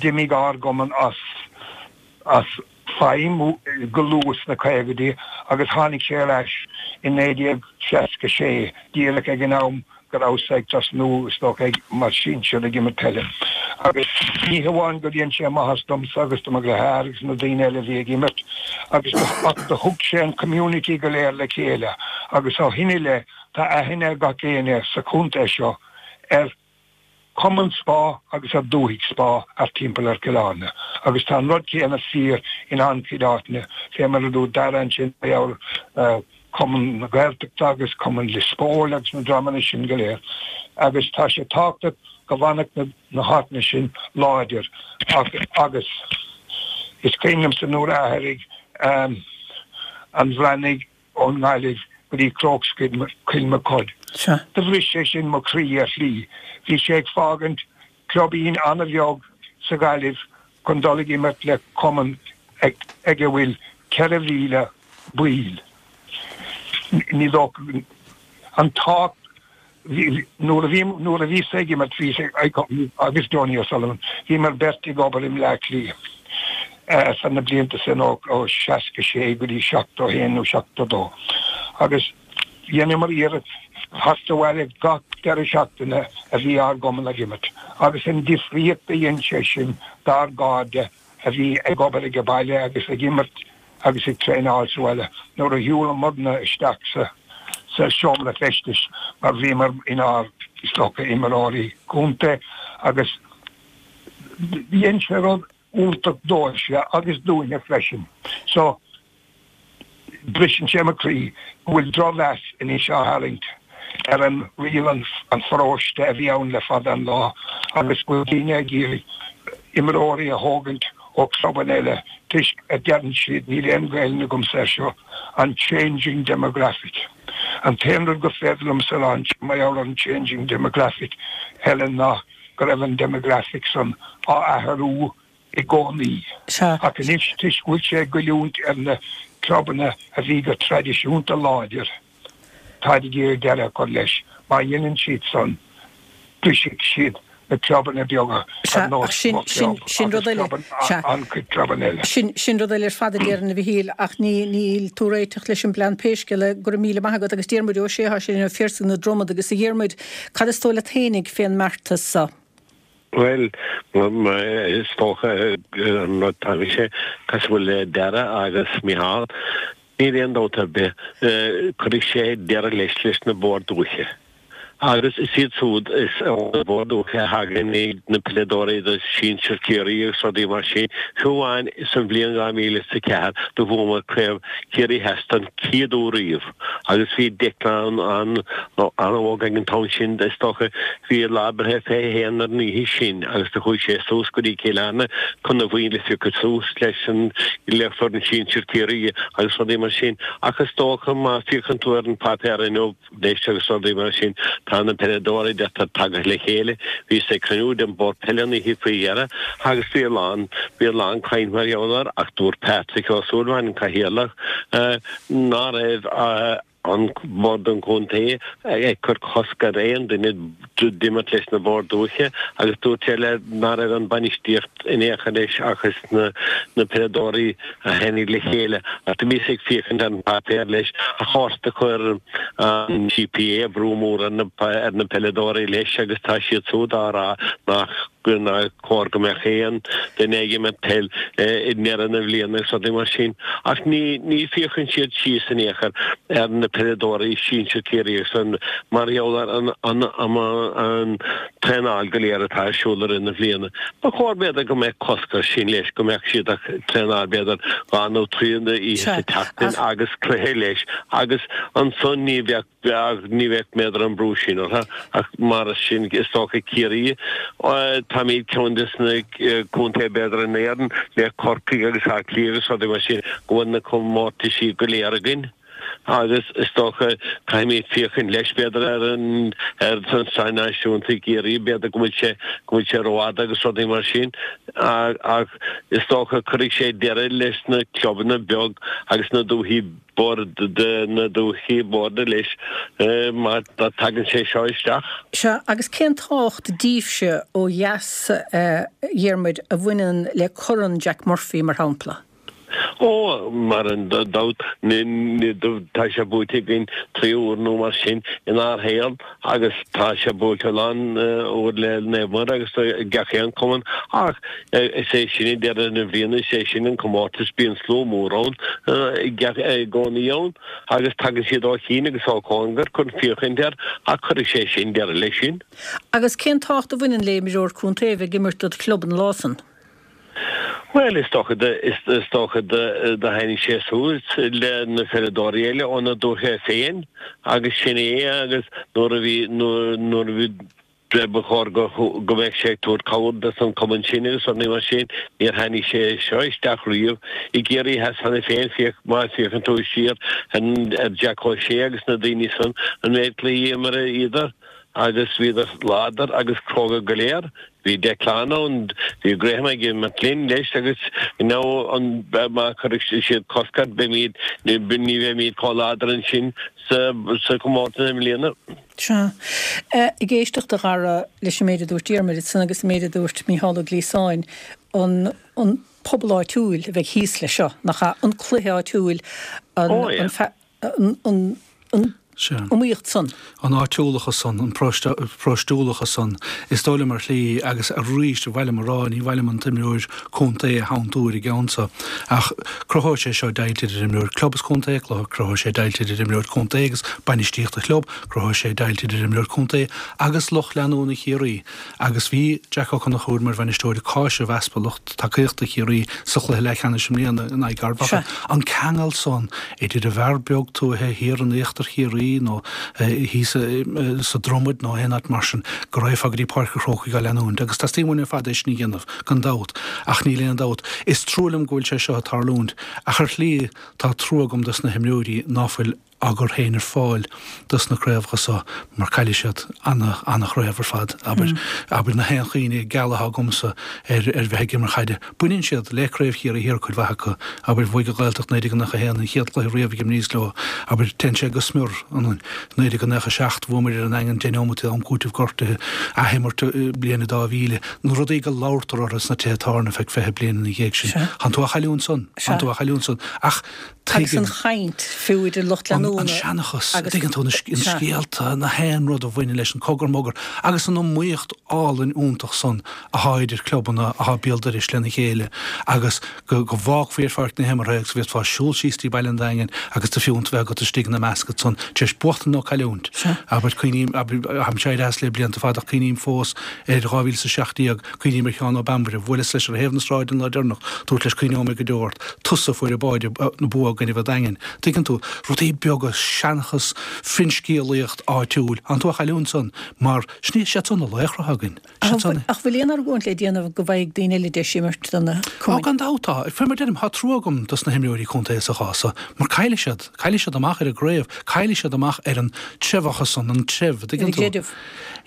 d'imigh ár gcumann as as feidhm go luath sna caogaidí agus tháinig sé ar ais i 1966 díreach ag an am go rabhas ag tosnú, is dócha, ag mar sinsear ag imirt peile. Agus ní hamháin gur dhein sé maitheas domsa agus do mo dheartháir agus na daoine eile a bhí ag imirt agus ach do thug sé an community go léir le chéile agus ó shin i leith tá aithne ag gach éinne sa chontae seo ar Chumann Spá agus ar Dúthaigh Spá thart timpeall ar Chill Airne agus tá an rud céanna fíor in an-chuid áiteanna fé mar a dúirt Dara ansin mar Cumann na Gaeltachta agus Cumann Lios Póil agus na dreamanna sin go léir agus tá sé tábhachtach go bhfanfadh na háiteanna sin láidir ach agus is cuimhin liomsa nuair a d'athraigh an Bhreathnaigh ón nGaillimh go dtí Crokes Cill Mochuda. Do bhris sé sin mo chroí ar shlí. Bhí sé ag fágaint cluibín an-bheag sa Ghaillimh chun dul ag imirt le cumann ag a bhfuil 4,000 baill. Ní dócha an tábhacht nuair a bhí nuair a bhíos-sa ag imirt bhíos ag agus Donie O'Sullivan bhíomar beirt ag obair i mBleá Cliath sna na blianta sin ó 66 go dtí 71 nó 72 agus dheineamar iarracht theacht abhaile gach deireadh seachtaine a bhí ár gcumann ag imirt agus an difríocht a dhein sé sin dár gcairde a bhí ag obair ag baile agus ag imirt agus ag traenáil sa bhaile nuair a shiúlamarna isteach sa sa seomra feistis mar bhíomar inár, is dócha, imreoirí contae agus dhein sé rud iontach dóibhse agus dúinne freisin. So, Briseann sé mo chroí go bhfuil drochmheas anois á tharraingt ar an riail an pharóiste a bhí ann le fada an lá agus go bhfuil daoine ag iarraidh imreoirí a thógaint ó chlubanna eile toisc a deireann siad, níl aon Ghaelainn agamsa air seo, an changing demographic. An t-aon rud gur féidir liomsa a rá mar gheall ar an changing demographic, Helen, ná go raibh an demographic san á athrú i gcónaí. Ach anois, toisc go bhfuil sé ag goilliúint ar na clubanna a bhí go traidisiúnta láidir, táid ag iarraidh deireadh a chur leis. Má dhéanann siad san, brisfidh siad na clubanna beaga ar nós mo chlub agus an-chuid clubanna eile. Sin rud eile ar fad a déarfainn, a Mhichíl, ach níl tú réiteach leis an bplean pé scéal é. Go raibh míle maith agat. Agus Diarmuid Ó Sé, tá sé linn ó Phiarsaigh na Dromad. Agus a Dhiarmuid, cad is dóigh leat fhéinig fén mbeartas so? Bhuel, is dócha an rud tá mise cosúil le Dara agus Micheál, níl aon dabht ar bith, cuirfidh sé deireadh leis leis na boird dúiche. Agus is iad siúd is ó na boird dúiche a thagann na peileadóirí do sinsir Chiarraí agus rudaí mar sin. Fiú amháin sa bhliain 2004 do bhuamar Craobh Chiarraí Theas don chéad uair riamh. Agus bhí Declan an-óg ag an t-am sin, is dócha. Bhí a lá breithe 21 ar an oíche sin agus do chuaigh sé suas go dtí Cill Airne chun a bhuille a phiocadh suas leis an le foireann sinsir Chiarraí agus rudaí mar sin. Ach is dócha má féachann tú ar an páipéar inniu leis agus rudaí mar sin, tá na peileadóirí deirtear tagtha le chéile. Bhíos ag cruinniú den Bhord Peile an oíche faoi dheireadh agus bhí a lán, bhí a lán caint mar gheall air ach dúirt Patrick Ó Súilleabháin, an Cathaoirleach, ná raibh an Bord an Chontae ag cur cosc ar aon duine d'imirt leis na Boird Dúiche agus dúirt sé le ná raibh an bainistíocht in aon chor leis ach is na na peileadóirí a tháinig le chéile ach do bhíos ag féachaint ar an páipéar leis ach do chuir an GPA brú mór ar na ar na peileadóirí leis agus tá siad siúd á rá nach. nár chóir go mbeadh aon duine ag imirt peil i ndeireadh na bliana agus rudaí mar sin. Ach ní ní féachann siad síos in aon chor ar na peileadóirí sinsir Ciarraí agus an mar gheall ar an an an traenáil go léir atá ar siúl i rith na bliana. Ba chóir b'fhéidir go mbeadh cosc air sin leis, go mbeadh siad ag traenáil b'fhéidir dhá nó trí oíche sa tseachtain agus cluiche leis agus ansan ní bheadh ní bheadh b'fhéidir an brú sin orthu ach mar sin is dócha Ciarraí táimid ceann des na contaetha b'fhéidir in Éirinn le Corcaigh agus Áth Cliath agus rudaí mar sin go bhfuil na comórtaisí go léir againn. Agus is dócha, caithfimid féachaint leis, b'fhéidir, ar an ar an tsraith náisiúnta i gCiarraí, b'fhéidir go bhfuil sé go bhfuil sé rófhada agus rudaí mar sin. Ach is dócha cuirfidh sé deireadh leis na clubanna beag agus na dúichí boird na dúichí boird leis má tagann sé seo isteach. Sea, agus cén tábhacht daoibhse ó dheas, a Dhiarmuid, a bhaineann le Corn Jack Murphy, mar shampla? Ó, mar an dabht, tá sé buaite againn 3 uair nó mar sin inár shaol agus tá sé buaite a lán uair le Naomh Muire agus gach aon cumann ach is é sin ag deireadh na bliana, is é sin an comórtas, bíonn slua mór ann i gcónaí ann agus tagann siad ó chian agus ó chóngar chun féachaint air ach cuirfidh sé sin deireadh leis sin. Agus cén tábhacht a bhaineann le imreoir contae a bheith ag imirt dod chlub an lá san? Bhuel, is dócha, is dócha do thaitnigh sé suas le na peileadóirí eile óna dúiche féin agus sin é agus nuair a bhí, nuair a bhí, ba chóir go, go mbeadh sé ag tabhairt cabhair dos an cumann sin agus rudaí mar sin, níor tháinig sé seo isteach riamh i gCiarraí Theas cheana féin, féach, má féachann tú siar ar Jack O'Shea agus na daoine san, an méid cluichí a imríodar. agus bhíodar láidir agus cróga go léir. Bhí Declan ann, bhí Graham ag imirt linn leis agus now an má chuirfidh siad cosc air beimid, ní bheimid chomh láidir ansin sa sa chomórtas i mbliana. Sea. Ag éisteacht a Dhara leis an méid a dúirt Diarmuid ansan agus an méid a dúirt Mícheál Ó Gliasáin, an an pobal áitiúil a bheidh thíos leis seo, nach ea? An cluiche áitiúil, an an an an iomaíocht san. An áitiúlachas san, an paróistiúlachas san, is dóigh liom ar shlí, agus arís, ar mhaith liom a rá, ní mhaith liom an t-imreoir contae a shantú ar an gceann so, ach cruthóidh sé seo deighilt idir imreoir club is contae, cruthóidh sé deighilt idir imreoir contae agus bainistíocht an chlub, cruthóidh sé deighilt idir imreoir contae agus lucht leanúna Chiarraí. Agus bhí Jack Ó Conchúir mar bhainisteoir ag cáiseamh easpa lucht tacaíochta Chiarraí sa chluiche leathcheannais i mbliana in aghaidh Ard Mhacha. An ceangal san idir an bhfear beag tuaithe thiar in íochtar Chiarraí nó thíos sa Dromaid nó aon áit mar sin, go raghfá go dtí Páirc an Chrócaigh á leanúint. Agus teastaíonn uainn ar fad é sin a dhéanamh, gan dabht. Ach níl aon dabht. Is trua liom go bhfuil sé seo ag tarlúint. Ach ar shlí, tá trua agam dos na himreoirí ná fuil á gcur féin ar fáil dos na craobhacha so mar caillfidh siad ana, ana-chraobh ar fad, abair, abair na haon chuimhne geal atá agamsa ar, ar bheith ag imirt chaide. Baineann siad le Craobh Chiarraí Thiar cuid mhaith acu, abair, bhuaigh an Ghaeltacht 1991 an chéad chluiche riamh ag imríos leo, abair, téann sé go smior, an 1997 bhuamar ar an nDaingean deich neomat am cúitimh gortaithe, athimirt bliain 2000, na rudaí go labhartar orthu sna tithe tábhairne feadh 20 bliain ina dhiaidh sin. Tánn tú á chailliúint san, tánn tú á chailliúint san, ach Agus an chaint, fiú idir lucht leanúna. An seanchas, an dtuigeann tú, na scéalta, na haon rud a bhaineann leis an cogar mogar agus an iomaíocht álainn iontach san athá idir clubanna athá béal dorais lena chéile agus go go bhfágfaí ar pháirc na himeartha agus go bhféadfá siúl síos dtí Baile an Daingin agus do phiúnt bheith agat istigh ina measc ansan tar éis buachtaint nó cailliúint. Abair, cuimhním, abair, tháimse éirithe as le blianta fada ach cuimhním fós ar 2017, Cuimhním ar Sheán Ó Beanbaire, bhuaileas leis ar thaobh na sráide an lá deireanach, dúirt leis cuimhneoidh mé go deo ort, tusa a fuair an báide, an bua i gcoinnibh an Daingin. Tuigeann tú, rudaí beaga, seanchas, finscéalaíocht áitiúil, tánn tú á chailliúint san, mar sin iad san na laochra atá againn. Siad san. Ach bhfuil aon argóint le déanamh go bhfaighidh daoine eile deis imirt do na cumainn? Ó, gan dabht tá. Fé mar deirim, tá trua agam dos na himreoirí contae sa chás so, mar caillfidh siad, caillfidh siad amach ar an gcraobh, caillfidh siad amach ar an treibheachas san, an treibh, tuigeann tú. Ar an gcreideamh.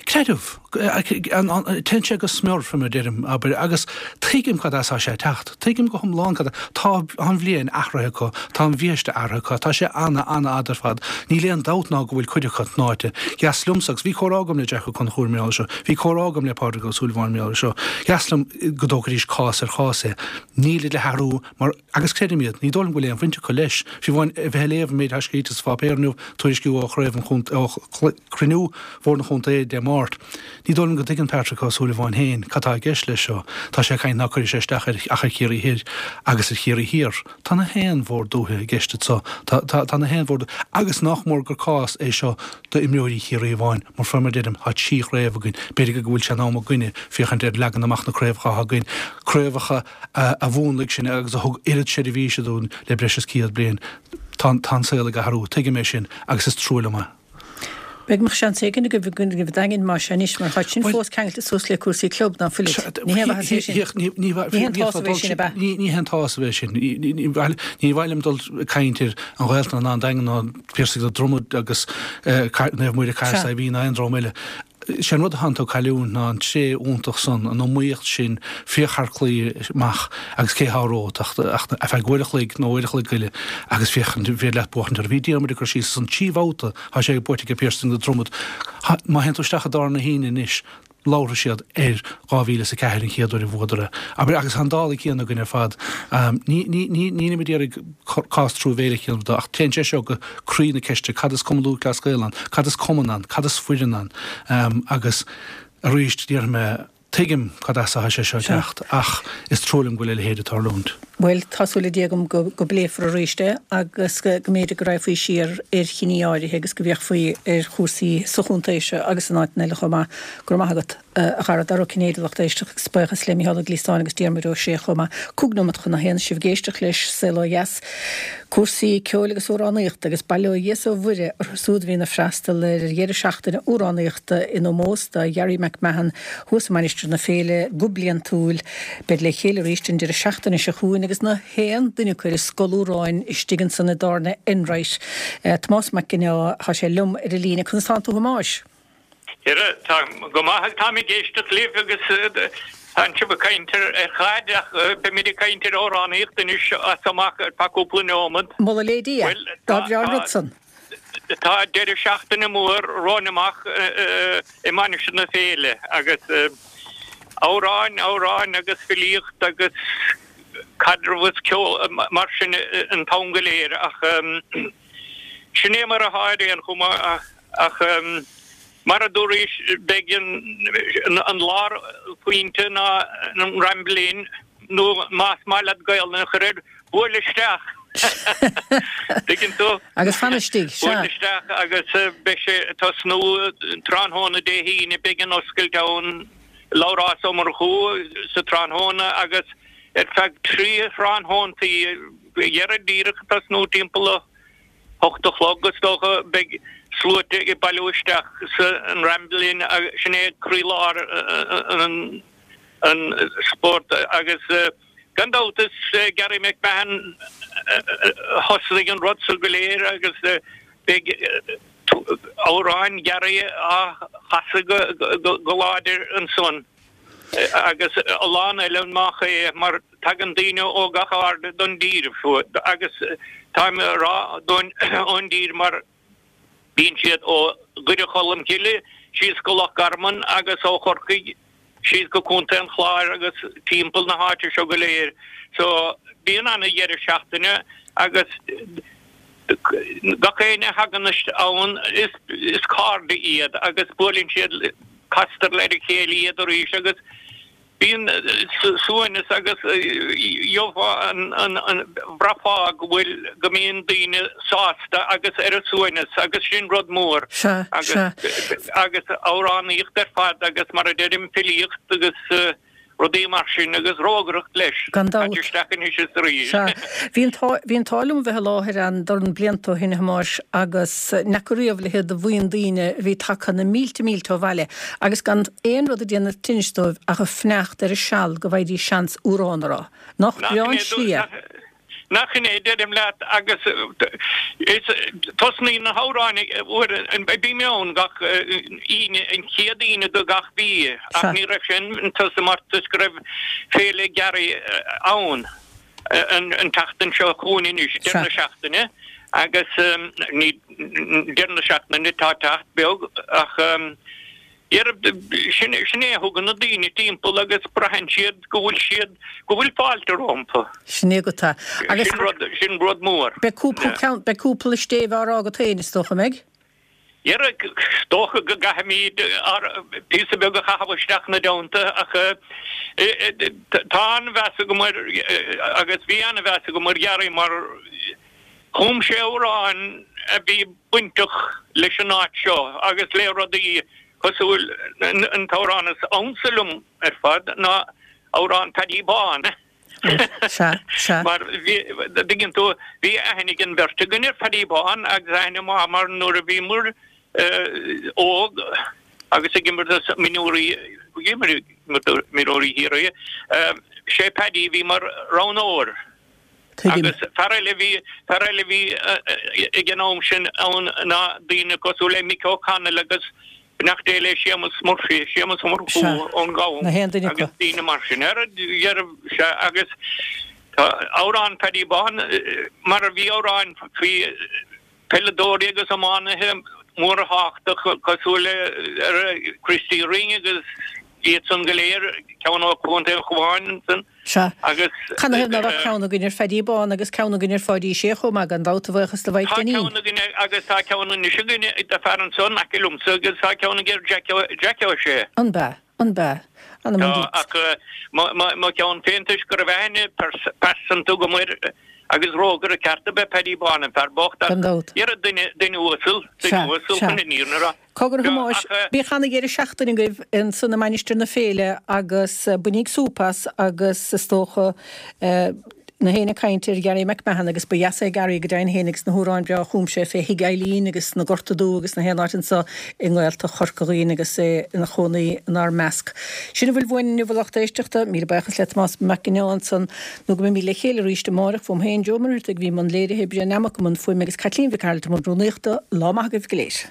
Creideamh. Téann sé go smior, fé mar deirim, abair, agus tuigim cad as tá sé ag teacht. Tuigim go hiomlán cad, tá an bhliain athraithe acu, tá an bhiaiste athraithe acu, tá sé ana, ana-fhada. fhad ar fad. Níl aon dabht ná go bhfuil cuid acu tnáite. Dheas liomsa, agus bhí comhrá agam le Jack Ó Conchúir mar gheall air seo, bhí comhrá agam le Pádraig Ó Súilleabháin mar gheall air seo, dheas liom go dtógfaidís cás ar chás é. Nílid le hathrú mar, agus creidim iad, ní dóigh liom go bhfuil aon bhaint acu leis. Fiú amháin a bheith ag léamh an méid atá scríte sa pháipéar inniu, tuairisciú ó chraobh an chontae, ó chruinniú Bhord an Chontae Dé Máirt, ní dóigh liom go dtuigeann Patrick Ó Súilleabháin féin cad tá i gceist leis seo. Tá sé ag caint ná cuirfidh sé isteach ar ach ar Chiarraí Thoir agus ar Chiarraí Thiar. Tá na haon bhord dúiche i gceist anso. Tá, tá, tá na haon bhord, agus nách mór gur cás é seo d'imreoirí Chiarraí amháin, mar fé mar deirim, tá trí chraobh againn, b'fhéidir go bhfuil sé in am againne féachaint ar leagan amach na craobhacha atá againn, craobhacha a, a mhúnlaigh sinn agus a thug oiread seirbhíse dúinn le breis is 100 bliain. Tá, tá an saol ag athrú, tuigim é sin, agus is trua liom é. B'fhéidir go mbeadh seans éigin agaibh i gCraobh an Daingin más ea anois mar tá sin fós ceangailte suas le cúrsaí club, ná fuilid? Ní haon mhaitheas é sin. Ní haon tsásamh é sin, ab ea? Ní haon tsásamh é sin. Ní mhaith liom dul ag caint ar an Ghaeltacht ná an Daingean ná Piarsaigh na Droma agus Naomh Muire Cathair Saidhbhín ná aon dream eile. Sé an rud atánn tú ag cailliúint ná an tréith iontach san, an iomaíocht sin, féach thar claí amach agus cé thá romhat ach ar feadh uair a chloig nó uair a chloig go leith agus féach an féidir leat buachaint orthu. Bhí Diarmuid ag cur síos ansan trí bhabhta thá sé buaite ag Piarsaigh na Dromad. Má théann tú isteach i dtábhairne na hAoine anois labharfaidh siad ar 2004 an chéad uair a bhuadar é. Abair, agus tá an dála céanna againn ar fad. Ní, ní, ní, nílim ag iarraidh cás truamhéileach a dhéanamh de ach téann sé seo go croí na ceiste, cad is Cumann Lúthchleas Gael ann? Cad is cumann ann? Cad is foireann ann? Agus arís, déarfaidh mé, tuigim cad as atá sé seo ag teacht ach is trua liom go bhfuil a leithéid ag tarlúint. Bhuel, tá súil le Dia agam go bpléifear arís é agus go mb'fhéidir go raghfaí siar ar chinní áirithe agus go bhféachfaí ar chúrsaí sa chontae seo agus in áiteanna eile chomh maith. Go raibh maith agat, a Dhara. Dara Ó Cinnéide, lucht éisteachta, agus buíochas le Micheál Ó Gliasáin agus Diarmuid Ó Sé chomh maith. Cúig nóimeat chun a haon, sibh ag éisteacht leis Saol Ó Dheas, cúrsaí ceoil agus amhránaíochta agus bail ó Dhia is ó Mhuire orthu siúd a bhíonn ag freastal ar dheireadh seachtaine amhránaíochta in ómós do Gharry McMahon thuas i Mainistir na Féile go bliantúil. Beid le chéile arís an deireadh seachtaine seo chugainn agus na haon duine acu ar a scol amhráin istigh ansan i dtábhairne Enright. Tomás Mac Ginneá, tá sé liom ar an líne. Conas tánn tú a Thomáis? Dhera, tá go maith, táim ag éisteacht libh agus tánn sibh ag caint ar chaid ach beimid ag caint ar amhránaíocht anois as amach ar feadh cúpla neomad. Moladh le Dia, dá bhreá an rud san. Tá deireadh seachtaine mór romhainn amach i Mainistir na Féile agus amhráin, amhráin agus filíocht agus caidreamh is ceol mar sin an t-am go léir ach sin é mar atá ar aon chuma ach mar a dúraís beidh an lárphointe ná an Ramble Inn nó más maith leat Gaolainn a chur air, buail isteach! Tuigeann tú? Agus fan istigh, sea. Buail isteach agus beidh sé ag tosnú tráthnóna Dé hAoine, beidh an oscailt ann, Labhrás Ó Murchú sa tráthnóna agus ar feadh trí thráthnóntaí, dhera díreach ag tosnú timpeall a hocht a chlog is dócha, beidh sluaite ag bailiú isteach san Ramble Inn, sin é croílár an. an spórt agus gan dabht is Gary McMahon a thosnaigh an rud so go léir agus beidh amhráin Gary á chasadh go láidir ansan agus a lán eile nach é mar tagann daoine ó gach aird don dtír agus táim a rá ón dtír mar Bíonn siad ó Dhoire Cholm Cille síos go Loch Garman agus ó Chorcaigh síos go Contae an Chláir agus timpeall na háite seo go léir. So bíonn ana dheireadh seachtaine agus gach éinne a thagann ann is is cairde iad agus buaileann siad castar le a chéile iad arís agus Bíonn suaimhneas agus gheofá an, bhraithfeá go bhfuil, go mbíonn daoine sásta agus ar a suaimhneas agus sin rud mór. Sea, sea. Agus amhránaíocht ar fad agus mar a deirim filíocht agus rudaí mar sin agus rógaireacht leis. Gan dabht. Caite isteach anois is arís. Sea. Bhí an t-ádh, bhí an t-ádh liom a bheith i láthair ann dorn blianta ó shin a Thomáis agus n'fheaca riamh a leithéid de bhuíon daoine a bhí tagtha na mílte mílte ó bhaile agus gan aon rud ag déanamh tinnis dóibh ach ag fanacht ar a seal go bhfaighidís seans amhrán a rá. Nach breá an slí é? Nach in é, deirim leat, agus is tosnaíonn na hamhráin uair, bím ann gach Aoine, an chéad Aoine de gach mhí, ach ní raibh sé in tusa mar toisc go raibh Féile Gary ann an tseachtain seo chugainn anois, deireadh na seachtaine. Agus ní deireadh na seachtaine atá ag teacht beag ach sin é a thugann na daoine timpeall agus braitheann siad go bhfuil siad, go bhfuil fáilte rompu. Sin é agat é. Agus sin rud, sin rud mór. Beidh cúpla ceann, beidh cúpla stéibh á rá agat féin is dócha, an mbeidh? Dhera, is dócha go gcaithfimid píosa beag a chaitheamh isteach ina dteannta ach tá an-mheas agam air agus bhí an-mheas agam ar Ghearaí mar chum sé amhráin a bhí bainteach leis an áit seo agus le rudaí cosúil, an t-amhrán is ansa liom ar fad ná amhrán Paddy Bán. Sea, sea. Mar bhí, dtuigeann tú, bhí aithne ag an bheirt againn ar Phaddy Bán agus aithne mhaith mar nuair a bhíomar óg agus ag imirt do mionúirí, ag imirt do mionúirí Chiarraí, sé Paddy a bhí mar roghnóir. Tuigim. Agus fear eile a bhí, fear eile a bhí ag an am sin ann ná daoine cosúil le Mick O'Connell agus beannacht Dé le Séamus Murphy, Séamus Ó Murchú ón Gabhán Na haon duine acu. agus daoine mar sin. Ar dheireadh, sea, agus tá amhrán Phaddy Bán, mar a bhí amhráin faoi peileadóirí agus iománaithe móra thábhachtacha cosúil le Christy Ring agus iad san go léir, ceann ó Chontae an Chabháin ansan Sea. agus. Canathaobh ná raibh ceann againn ar Phaddy Bán agus ceann againn ar Pháidí Sé chomh maith, gan dabht, a bhuíochas do Mhaidhc Tá Dainín. ceann againn agus tá ceann anois againn de fear ansan in aice liomsa agus tá ceann ag Jack Ó Sé. An b'ea? An b'ea? Anam Tá, ach mo cheann féin toisc go raibh aithne pearsanta agam air agus rógaire ceart ab ea Paddy Bán, an fear bocht, ach Gan dabht. dhera duine, duine uasal, duine uasal chun an fhírinne a rá. Cogar a Thomáis, bíodh ana-dheireadh seachtaine agaibh ansan i Mainistir na Féile agus bainíg súp as agus is dócha na héinne ag caint ar Gary McMahon agus ba dheas é Gary go deimhin féin agus na hamhráin bhreá a chum sé fé Thigh Eileen agus na Gorta Dubh agus na haon áit anso i nGaeltacht Chorca Dhuibhne agus é ina chónaí inár measc. Sin a bhfuil uainn inniu a lucht éisteachta. Míle buíochas le Tomás Mac Con Iomaire ansan nó go mbeimid le chéile arís amáireach uaim féin Joe Ó Muircheartaigh a bhí i mbun léirithe, Brian Nammock i mbun fuaime agus Caitlín Mhic Gearailt i mbun rúnaíochta. Lá maith agaibh go léir.